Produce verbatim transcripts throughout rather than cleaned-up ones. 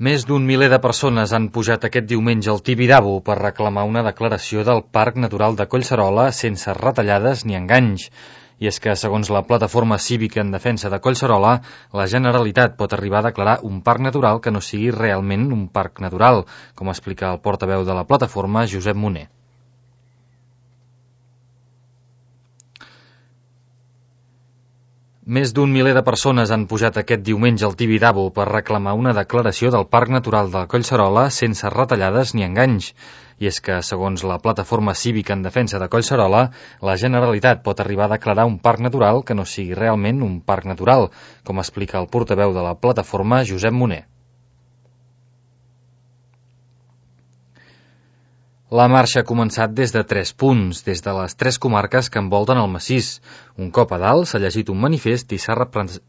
Més d'un miler de persones han pujat aquest diumenge al Tibidabo per reclamar una declaració del Parc Natural de Collserola sense retallades ni enganys. I és que, segons la Plataforma Cívica en Defensa de Collserola, la Generalitat pot arribar a declarar un parc natural que no sigui realment un parc natural, com explica el portaveu de la plataforma, Josep Moner. Més d'un miler de persones han pujat aquest diumenge al Tibidabo per reclamar una declaració del Parc Natural de Collserola sense retallades ni enganys. I és que, segons la Plataforma Cívica en Defensa de Collserola, la Generalitat pot arribar a declarar un parc natural que no sigui realment un parc natural, com explica el portaveu de la plataforma, Josep Moner. La marxa ha començat des de tres punts, des de les tres comarques que envolten el massís. Un cop a dalt s'ha llegit un manifest i s'ha representat...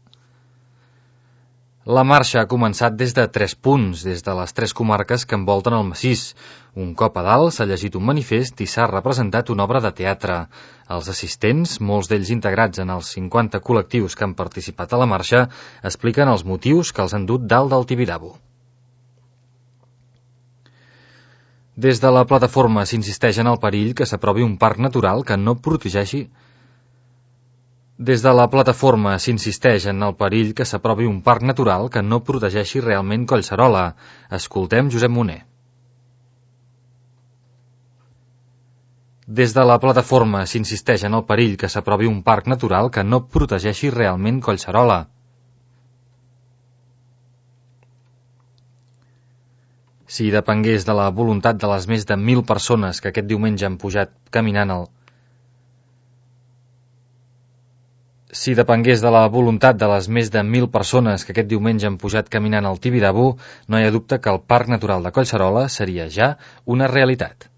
La marxa ha començat des de tres punts, des de les tres comarques que envolten el massís. Un cop a dalt s'ha llegit un manifest i s'ha representat una obra de teatre. Els assistents, molts d'ells integrats en els cinquanta col·lectius que han participat a la marxa, expliquen els motius que els han dut dalt del Tibidabo. Des de la plataforma s'insisteix en el perill que s'aprovi un parc natural que no protegeixi... Des de la plataforma s'insisteix en el perill que s'aprovi un parc natural que no protegeixi realment Collserola. Escoltem Josep Moner. Des de la plataforma s'insisteix en el perill que s'aprovi un parc natural que no protegeixi realment Collserola. Si depengués de la voluntat de les més de mil persones que aquest diumenge han pujat caminant al... Si depengués de la voluntat de les més de mil persones que aquest diumenge han pujat caminant al Tibidabo, no hi ha dubte que el Parc Natural de Collserola seria ja una realitat.